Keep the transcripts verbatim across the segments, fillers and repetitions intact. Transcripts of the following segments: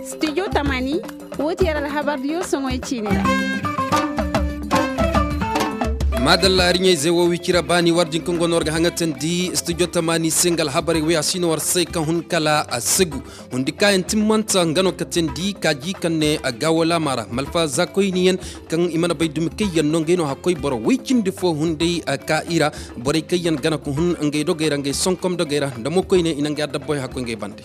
Studio tamani, wo ti yar alhabar diyo soŋoy ciine ra. Madalla, hari ɲayze wo wicira baani war din kaŋ go no war ga haŋatandi studio tamani se nga alhabarey wo ya si no war se kaŋ hun kala a segu. Hundi kaayaŋ timmanta nga no ka teendi kaaji kaŋ ne a gaawo laama ra malfa zaakoyniyaŋ kaŋ i mana bay dumi kaŋ yaŋ no ngey no hakkoy boro woy cindi fo hunday ka i ra. Borey kaŋ yaŋ gana ka hun ngey dogey ra ngey sonkom dogey ra nda mo koyne i na ngey adabboy hakkoy ngey bande.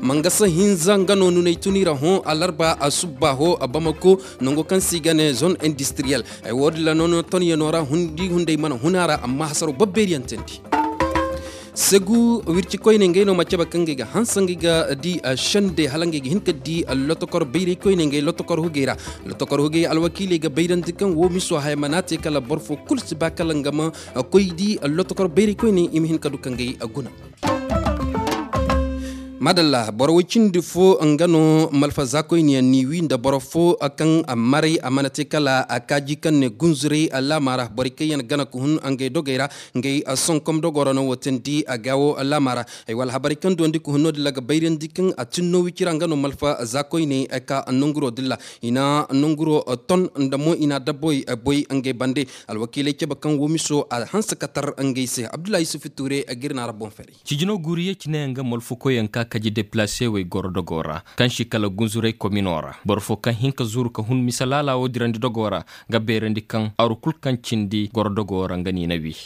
Mangasa hinza nga no nuney tun i ra hõ alarba a subba ho a bamako nango kaŋ se i ga ne zone industriyel. Ay wo- din ra no no ton yaŋo ra hundi hunday mana hun a ra amma hasaro babbeeri yaŋ teendi. Segu wirci koyne ngey no ma cabe kaŋ ngey ga hanse ngey ga di sende hala ngey ga hin ka di lotokor bayray koyne ngey lotokor hugey ra. Lotokor hugey alwakiiley ga bayrandi kaŋ wo miso haya mana te kala boro fo kulu si ba kala nga ma koy di lotokor bayray koyne i ma hin ka du ka ngey guna. Madalla boro way cindi fo nga no malfa zaakoyne yaŋ ni wi nda boro fo kaŋ maray a mana te kala kaaji kaŋ ne gunzuray laama ra borey kaŋ yaŋ gana ka hun ngey dogey ra. Ngey sonkom dogo ra no wo teendi a gaawo laama ra. Ay wala habarey kaŋ duwandi ka hun no- din ra ga bayrandi kaŋ a tinno wicira nga no malfa zaakoyne ka nanguro din ra i na nanguro ton nda mo i na dabboy boy ngey bande. Alwakiiley cabe kaŋ wo miso a hanse ka tar ngey se abdullahi yusufu tuure ga iri na ra boŋ fere. Cijino guuri ye cine yaŋ ga molfu koyyaŋ ka kaji deplase wey goro dogo ra kaŋ si kala gunzuray komino ra boro fo kaŋ hin ka zuru ka hun misa laala wo dirandi dogo ra. Ga beerandi kaŋ aru kulu kaŋ cindi goro dogo ra nga no i na wi.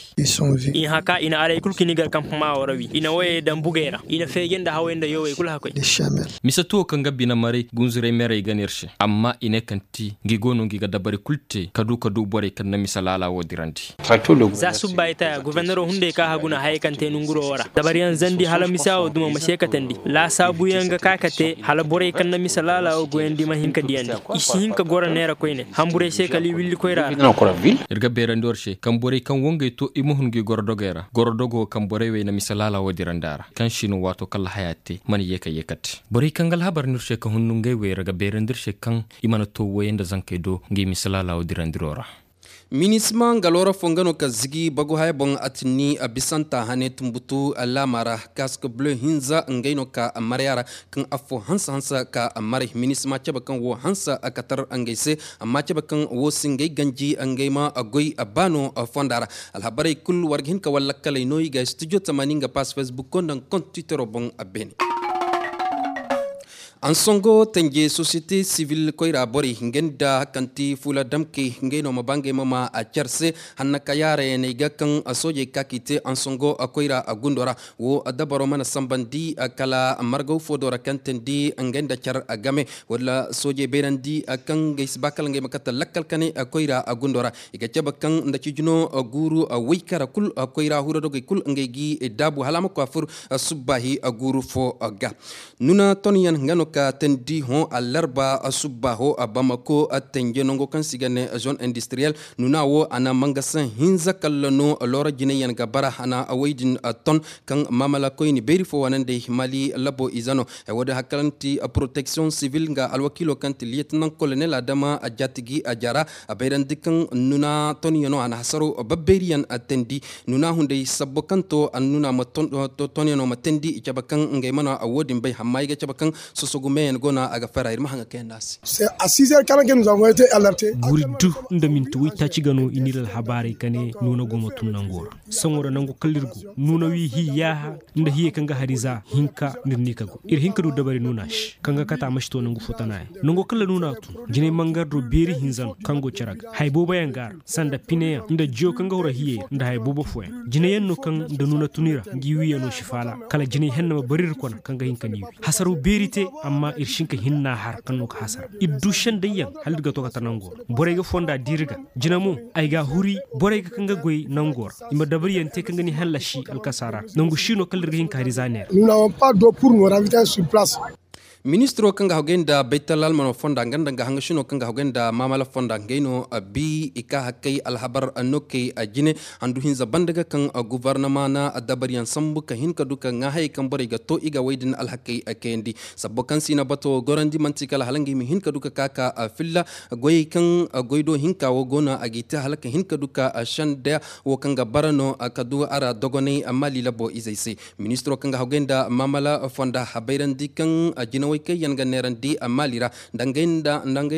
I haka i na arey kulu ka ni gar kampama wo ra wi i na woyey daŋ bugey ra i na feeje nda hawey nda yowey kulu hakoy. Misa tuwo kaŋ ga bine maray gunzuray merey ga no iri se amma i ne kaŋ ti ngi go no ngi ga dabari kulu te ka du ka du borey kaŋ na misa laala wo dirandi. Za subba i taya gubernero hunday ka hagu na hayey kaŋ te nunguro wo ra dabariyaŋ zandi hala misa wo duma ma se katandi laasaabuyaŋ ga ka ka te hala borey kaŋ na misa laala wo goyandi ma hin ka diyandi. I si hin ka goro neera koyne hamburey se kala i willi koyra ra. Iri ga beerandi war se kaŋ borey kaŋ wangey to i ma hun ga i goro dogey ra goro dogo kaŋ borey wey na misa laala wo dirandi a ra kaŋ si no waato kala haya te mana yeeka yeeka te borey kaŋ ga alhabar no iri se ka hunnu ngey wey ra ga beerandi iri se kaŋ i mana to woyey nda zankey do ngi misa laala wo dirandiro ra. Minisma nga loora fo nga no ka zigi bagu haya boŋ a tinni a bisanta hane tumbutu laama ra kask bleu hinza ngey no ka marya ra kaŋ affo hanse hanse ka maray minisma cabe kaŋ wo hanse a katar ngey se amma cabe kaŋ wo si ngey ganji ngey ma goy baano fonda ra. Alhabarey kulu war ga hin ka wallakkaley no i ga studio tamani nga pass facebook ko nda nga kont twittero boŋ beene. Ansongo tanje société civile koyra borey ngey nda hakanti fuula damkey ngey no ma ba ngey ma ma a care se hanna ka yaarey no ay ga kaŋ soojey ka k'i te ansongo koyra gundo ra. Wo dabaro mana sambandi kala margaw fo do ra kaŋ teendi ngey nda care game wala soojey bayrandi kaŋ ngey si ba kala ngey ma kate lakkal kane koyra gundo ra. I ga cabe kaŋ nda cijino guuru waykara kulu koyra huro dogey kulu ngey g'i daabu hala a ma koy a fur subbaahi guuru fo ga. Nuna tonyaŋ nga no ka teendi hõ alarba subbaaho bamako tanje nango kaŋ se i ga ne zone industriyel. Nuna wo a na mangasaŋ hinza kalla no loora jinayyaŋ ga bara a na woy din ton kaŋ maamala koyne beeri fo waanandey mali labo ize no. Ay wo- din hari kaŋ ti protection civil nga alwakiilo kaŋ ti liyetenaŋ kolonel adama a jaatigi a jara a bayrandi kaŋ nuna tonyaŋo a na hasaro babbeeriyaŋ teendi. Nuna hunday sabbo kaŋ to a nuna ma tonyaŋo ma teendi i cabe kaŋ ngey mana wo- din bay hamma i ga cabe kaŋ sosogu meyaŋ go no a ga fara iri ma haŋa kaŋ yaŋ no a se. Guuri du nda minti waytaaci ga no i n'iri alhabaarey ka ne nuuna go ma tun nango ra. Saŋo ra nangu kala iri go nuuna wi hi yaaha nda hiyey kaŋ ga hari za hinka n'iri ni ka go iri hin ka du dabari nuuna se kaŋ ga kate a ma si to nangu fo tana yaŋ. Nango kala nuuna tun jinay mangar do beeri hinza no kaŋ go care ga hay boobo yaŋ ga a ra sanda pineyaŋ nda jiyo kaŋ ga hura hiyey ra nda hay boobo fooyaŋ. Jinayaŋ no kaŋ nda nuuna tun i ra ngi wiiyano si faala kala jinay henne ma bari iri kona kaŋ ga hin ka ni wi hasaraw beeri te. Amma iri si hin ka hinna har kaŋ no ga hasara iri du sendayyaŋ hala iri ga to kate nango ra borey ga fonda da iri ga. Jina mo ay ga a huri borey ga kaŋ ga goy nango ra i ma dabariyaŋ te kaŋ ga ni hallasi alkasara nangu si no kala iri ga hin ka hari za neera. Ministiro kaŋ ga hagay nda baytal almano fonda nga nda nga hangashino kaŋ ga hagay nda maamala fonda ngey no bi i ka hakkay alhabar no kay jine handu hinza banda ga kaŋ guvarnama na dabariyaŋ sambu ka hin ka du ka ŋaa hayey kaŋ borey ga to i ga wey din alhakey kayandi. Sabbo kaŋ si na bato gorandi manti kala hala nga i ma hin ka du ka ka ka filla goyey kaŋ goy do hinka wo go no a g'i te hala ka hin ka du ka senda wo kaŋ ga bara no ka du a ra dogonay maali labo izey se. Ministiro kaŋ ga hagay nda maamala fonda habayrandi kaŋ jinawey kaŋ yaŋ ga neerandi maali ra nda ngey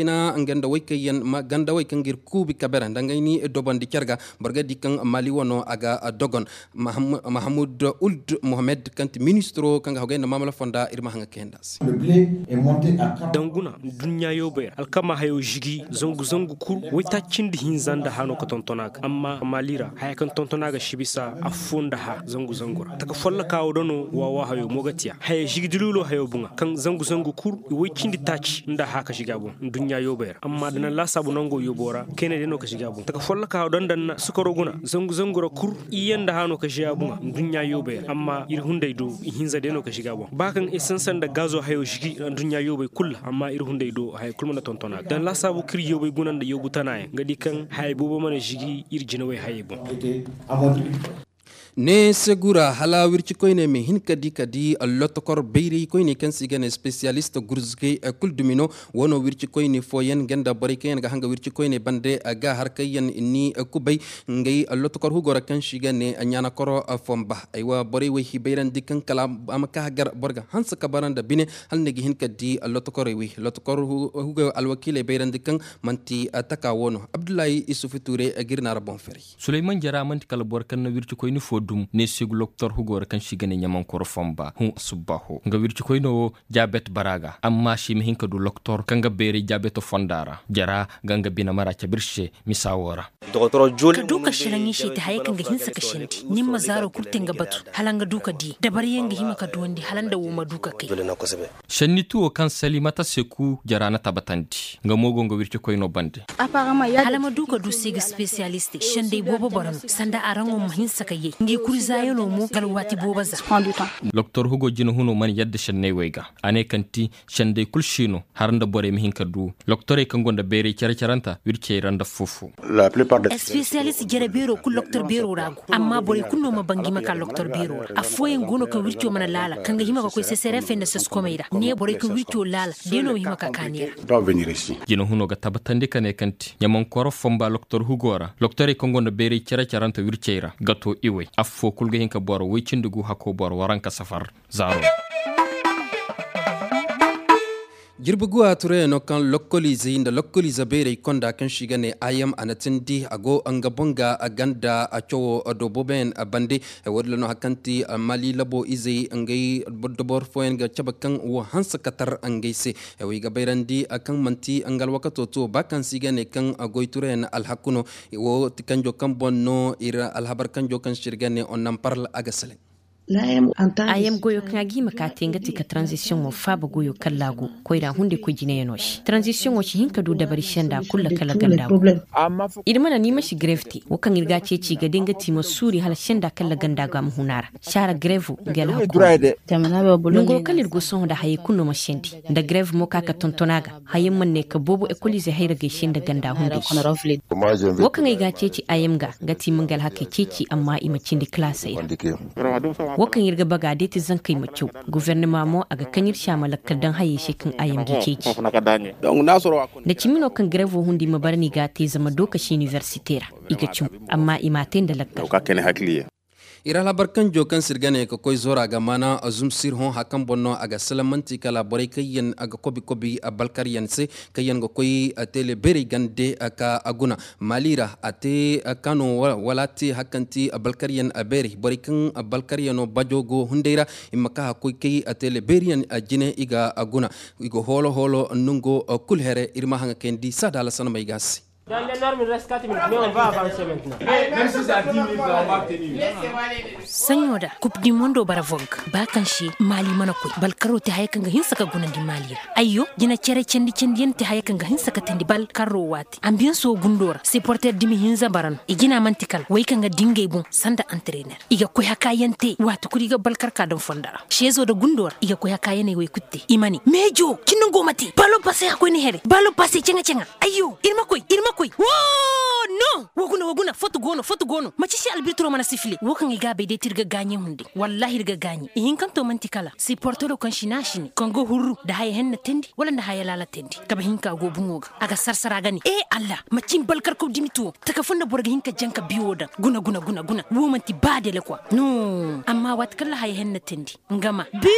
na nga nda way kaŋ yaŋ gandawey kaŋ ga iri kuubi kabera nda ngey ni dobandi care ga boro ga di kaŋ maali wano a ga dogon. Mahamud uld mohammed kaŋ ti ministiro kaŋ ga hagay nda maamala fonda iri ma haŋa kayanda se. Danguna nduɲɲa yoobay ra alkama hayo zigi zangu zangu kuru waytaaci cindi hinza nda hano ka tonton a ga amma maali ra haya kaŋ tonton a ga si bisa affo nda ha zangu zangu ra taka folloka wo da no waawa hayo mo ga tiya haya zigi dilulo hayo buŋa kaŋ zangu zangu kuru i way cindi taaci nda ha ka zigi a boŋ nduɲɲa yoobay ra amma da naŋ laasaabu nango yoobo ra kayna day no ka zigi a boŋ taka folloka wo daŋ daŋ na sukaro guna zangu zangu ra kuru iyye nda hano ka zigi a boŋa nduɲɲa yoobay ra amma iri hunday do ihinza day no ka zigi a boŋ ba kaŋ esansa nda gaazo hayo zigi nduɲɲa yoobay kulu ra amma iri hunday do haya kulu mana tonton a ga daŋ laasaabu kaŋ iri yoobay guna nda yoobu tana yaŋ ga di kaŋ hayey boobo mana zigi iri jinawey hayey boŋ. Ne se gura hala wirci koyne ma hin ka di ka di lotokor bayray koyne kaŋ se i ga ne spesiyalist gurzugay kulu dumi no. Wo no wirci koyne fooyaŋ nga nda borey kaŋ yaŋ ga hanga wirci koyne bande ga har kaŋ yaŋ ni kubay ngey lotokor hugo ra kaŋ se i ga ne ɲaanakoro fomba. Aywa borey wey hi bayrandi kaŋ kala a ma ka gar boro ga hanse ka bara nda bine hala ni ga hin ka di lotokorey wey lotokor hugo alwakiiley bayrandi kaŋ manti taka wo no abdullahi isufu tuure ga iri naara boŋ feray. Sulayman jara manti kala boro kaŋ na wircikoyni fo dum ne se ga loktor hugo ra kaŋ se i ga ne ɲamankoro fomba hõ subbaaho nga wircikoyno wo jaabet bara ga amma se i ma hin ka du loktor kaŋ ga beeray jaabeto fonda ra jara ga nga bine mara cabe iri se misa wo ra. Ka du ka selaŋ i se i te hayey kaŋ ga hinse ka sendi ni ma zaaro kulu te nga batu hala nga du ka di dabari yaŋ ga hima ka duwandi hala nda wo ma du ka kay. Senni tuwo kaŋ salimata seku jara na tabatandi nga mo go nga wircikoyno bande. Hala ma du ka du se ga spesiyaliste sendey boobo boro no sanda araŋo ma hinse ka yay ngi kuri zaayano mo ga alwaati boobo za. Doktor hugo jina huno mana yadda senney wey ga a ne kaŋ ti sendey kulu si no har nda borey ma hin ka du loktorey kaŋ gonda bayray care caranta wircey ra nda fofo. Spesiyalist jere beero kulu loktor beero ra go amma borey kulu no ma bangi ma ka loktor beero ra affooyaŋ go no kaŋ wirco mana laala kaŋ ga hima ka koy sesere fay nda saskomey ra ne borey kaŋ wirco laala day no ma hima ka kaani ra. Jina huno ga tabbatandi ka ne kaŋ ti ɲamankooro fomba loktor hugo ra loktorey kaŋ gonda bayray care caranta wircey ra ga to iwey affo kulu ga hin ka boro woy cindi gu hako boro waranka safar zaaro. Jirbi guwa turayano kaŋ lokkoliizey nda lokkoliize beerey konda kaŋ se i ga ne ayam a na tindi a go nga boŋ ga ganda a cawo do booboyaŋ bande. Wo- din ra no hari kaŋ ti mali labo izey ngey dabor fooyaŋ ga cabe kaŋ wo hanse ka tar ngey se. Wo i ga bayrandi kaŋ manti nga alwakato to ba kaŋ se i ga ne kaŋ goy turayano alhaku no. Wo ti kanjo kaŋ boŋ no iri alhabar kanjo kaŋ se iri ga ne onnan parl a ga selaŋ. A yam goyo kaŋ a ga hima ka te nga ti ka tranzisiyoŋo faaba goyo kaŋ laagu koyra hunday koy jinayano se tranzisiyoŋo si hin ka du dabari senda kulu kala ganda go. Iri mana ni ma si greve te wo kaŋ iri ga a ceeci ga day nga ti ma suuri hala senda kala ganda go a ma hun a ra saara grevo nga alhaku. Nanguro kaŋ iri go sohõ nda hayey kulu no ma sendi nda greve mo ka ka tonton a ga. Hayaŋ mana ne ka boobo ekoliizey hayra gay se nda ganda hunday se. Wo kaŋ ay ga a ceeci a yam ga nga ti ma nga alhakey ceeci amma i ma cindi kalaasey ra. Wo kaŋ iri ga baga day ti zankey ma caw. Gofernama mo a ga kaŋ iri se a ma lakkal daŋ hayey se kaŋ a yam g'i ceeci. Da cimi no kaŋ garevo hundi ma bara no i ga a te zama dookasi iniversite ra i ga caw. Amma i m'a te nda lakkal. Iri alhabar kanjo kaŋ se iri ga ne ka koy zora ga maana zumsir hõ hari kaŋ boŋ no a ga salamanti kala borey kaŋ yaŋ ga kobi kobi balkaryaŋ se kaŋ yaŋ ga koy teele beerey gande ka guna. Mali ra a te kano wala a te hari kaŋ ti balkaryaŋ beerey borey kaŋ balkaryano bajo go hunday ra i ma ka ka koy kay teele beeriyaŋ jine i ga guna. I ga hoolo hoolo nongo kulu here iri ma haŋa kayandi saada hala sanamey ga se. Saɲo da kup di mondo bara vog ba kaŋ se maali mana koy balkaro te haya kaŋ ga hinsa ka gunandi maali ra. Ayyo, jina care candi candi yaŋ te haya kaŋ ga hinsa ka tandi balkaro waati ambiyanso gundo ra siporter dumi hinza bara no i jina manti kala way kaŋ ga dingay boŋ sanda antrener i ga koy haka yaŋ te waati kulu i ga balkar ka daŋ fondo ra seezo da gundo ra i ga koy haka yaŋ ay way kulu te i ma ne meejo cin nango ma te balo pase a koy ni here balo pase caŋa caŋa. Ayyo, iri ma koy iri ma koy woo no. Wa guna wa guna foto go no foto go no maci si albirtiro mana sifile wo kaŋ i ga bay day ti iri ga gaaɲe hunde. Wallahi iri ga gaaɲe i hinkanto manti kala siportero kaŋ si ne a si ne kaŋ ga hurru nda haya henna teendi wala nda haya laala teendi kabe hinka go buŋo ga a ga sarsara ga ne e allah maci ni balkar kaw dimiti wo taka fo nda boro ga hin ka jaŋ ka bi wo daŋ guna guna guna guna wo manti ba dele kwa no. Amma waati kaŋ ra haya henna teendi nga ma bi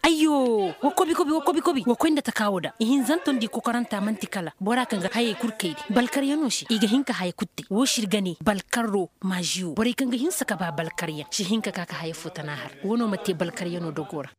ayyo. Wa kobi kobi wa kobi kobi wa koy nda taka wo daŋ ihinzanto nda i kokoranta manti kala bora kaŋ ga hayey kulu kaydi balkaryaŋo se i ga hin ka haya kulu te wo si iri ga ne balkarro maazi wo borey kaŋ ga hinsa ka ba balkaryaŋ si hin ka ka ka haya fo tana har wo no ma te balkaryaŋo dogo ra.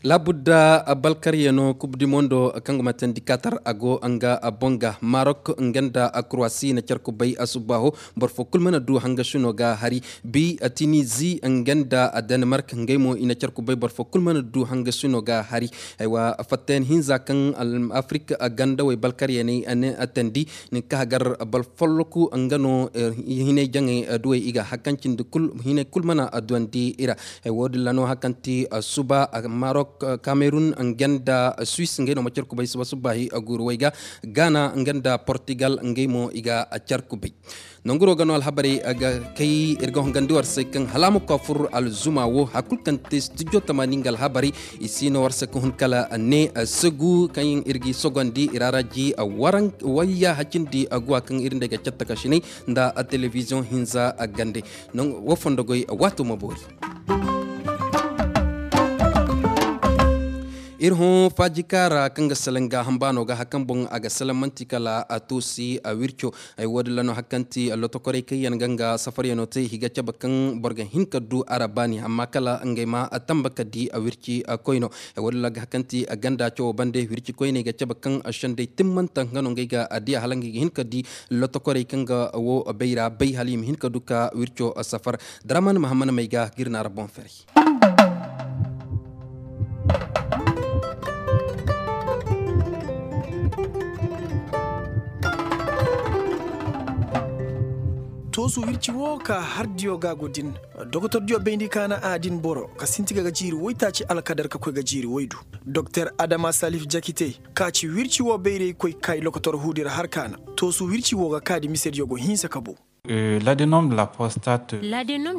Laabudda balkaryaŋo kub di mondo kaŋ ga ma tandi katar a go nga boŋ ga marok nga nda kurwasi na care kubay subbaaho. Boro fo kulu mana du hangasino ga hari bi tinizi nga nda danemark ngey mo i na care kubay boro fo kulu mana du hangasino ga hari. Aywa fattayaŋ hinza kaŋ afrik gandawey balkaryaŋey ne tandi nin ka hagar boro folloku nga no hinay jaŋey duwey i ga hari kaŋ cindi hinay kulu mana duwandi i ra. Wo- din ra no hari kaŋ ti suba marok kamerun nga nda suis ngey no ma care kubay suba subbaahi guuru way ga gaana nga nda portugal ngey mo i ga care kubay. Nanguro ga no alhabarey ga kay iri ga hongandi war se kaŋ hala a ma koy a fur alzuma wo hari kulu kaŋ te studio tamaani nga alhabarey i si no war se ga hun kala ne segu kaŋ iri ga i sogondi i ra ra ji wayya hacindi guwa kaŋ iri nd'ey ga care takasinay nda telebiziyoŋ hinza gande. Wo fondo goy waato ma boori. Iri hõ faajika ra kaŋ ga salaŋ gaaham baano ga hari kaŋ boŋ a ga salaŋ manti kala a toosi a wirco. Ay wo- din ra no hari kaŋ ti lotokorey kaŋ yaŋ ga nga safaryaŋo te i ga cabe kaŋ boro ga hin ka du a ra baani amma kala ngey ma tamba ka di a wirci koyno. Ay wo- din ra ga hari kaŋ ti ganda cawo bande wirci koyney ga cabe kaŋ sendey timmanta nga no ngey ga di a hala ngey ga hin ka di lotokorey kaŋ ga wo bayra bay hala i ma hin ka du ka wirco safar. Daraman mahammad may ga ga iri naara boŋ feray. Toosu wirci wo ka har diyo ga go din. Dokotor diyo bayndi kaana a din boro ka sinti ga ga jiiri woytaaci alkadar ka koy ga jiiri woydu. Doktor adama salif jakite ka ci wirci wo bayraykoy kay lokotor huudi ra har kaana. Toosu wirci wo ga kaadi mise diyo go hinsa ka bu. Ladenom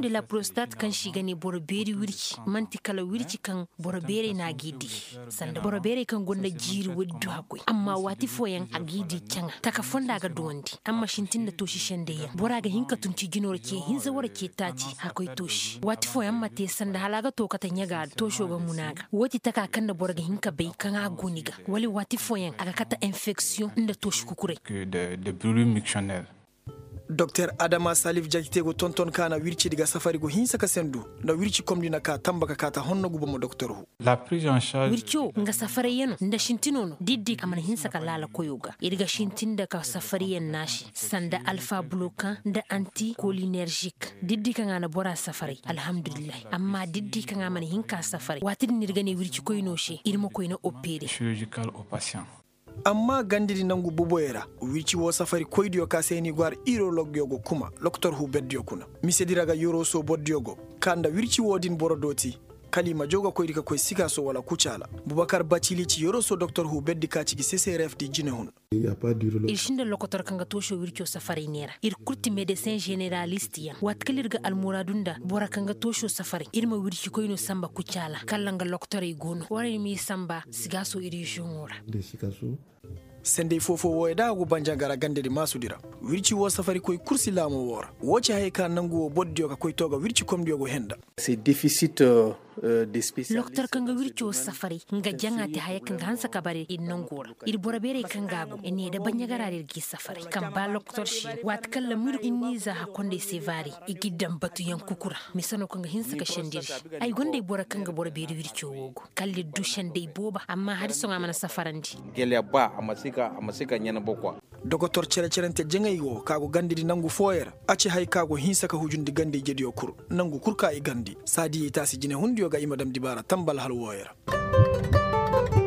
de la prostate kaŋ si ga ne boro beeri wirci manti kala wirci kaŋ boro beerey no a g'i di. Sanda boro beerey kaŋ gonda jiiri woy du hakkoy amma waati fooyaŋ a g'i di caŋa taka fonda ga duwandi amma sintin nda toosi sendey yaŋ bora ga hin ka tun ci jino ra ce hinza wara ce taaci hakkoy toosi waati fooyaŋ ma te sanda hala a ga to kate ɲaga da tooso ga muna ga wo ti taka kaŋ nda boro ga hin ka bay kaŋ a go ni ga wala waati fooyaŋ a ga kate enfeksiyoŋ nda toosi kukuray. Doktor adama salif jakite go tonton kaana wirci di ga safari go hinsa ka sendu nda wirci komdi na ka tamba ka kaata honno guba ma doktor hu. Wirco nga safarayyaŋo nda sintino no diddi a mana hinsa ka laala koyo ga iri ga sintin nda ka safariyaŋ naasi sanda alfa bulokan nda anti kolinerzik diddi kaŋ a na bora safaray alhamdulillahi amma diddi kaŋ a mana hin ka safaray waati din iri ga ne wirci koyno se iri ma koy na opere. Amma gandi di nangu buboyey ra wirci wo safari koydiyo ka se ni go har irologyo go kuma lokotor hu berdiyo kuna mise di ra ga yoroso bordiyo go ka nda wirci wo din boro dooti kala i ma jaw ga koy di ka koy sikaaso wala kucaala. Bubakar bacili ci yoroso doktor hu berdi ka ci gi seseref di jine hun. Iri sinda lokotor kaŋ ga tooso wirco safaray neera iri kulu ti medesin zeneralist yaŋ waati kala iri ga almuraadu nda bora kaŋ ga tooso safaray iri ma wirci koyno samba kucaala kala nga lokotorey go no warey m'i samba sigaaso iri zoŋo ra. Sendey foofo wooyey da a go banjanga ra gande di maasu di ra. Wirci woo safari koy kursi laamo woo ra woo ci hayey ka nangu woo boro diyo ka koy to ga wirci komdiyo go henda. Lokotor kaŋ ga wirco safaray nga jaŋa te haya kaŋ ga hanse ka bare iri nango ra. Iri boro beerey kaŋ ga a go iri ne da baɲɲagara ra iri g'i safaray kaŋ ba lokotor si no waati kaŋ lamu iri iri n'i za hakkondey se vaari. I g'iri daŋ batuyaŋ kuku ra. Mise no kaŋ ga hinse ka sendiri. Ay gonda ay boro kaŋ ga boro beeri wirco wo go kala iri du sendey booba amma hari sohõ a mana safarandi. Gele ba a ma si ka ɲana bokwa. Dokotor cere-cerante jaŋay wo ka go gandidi nangu fooyaŋ ra. A ci hay ka go hinse ka hujundi gandey jediyo kulu. Nangu kulu ka i gandi saadiyey taasi jinehundiyo ga i ma dam dibaara tambal hala wooyaŋ ra.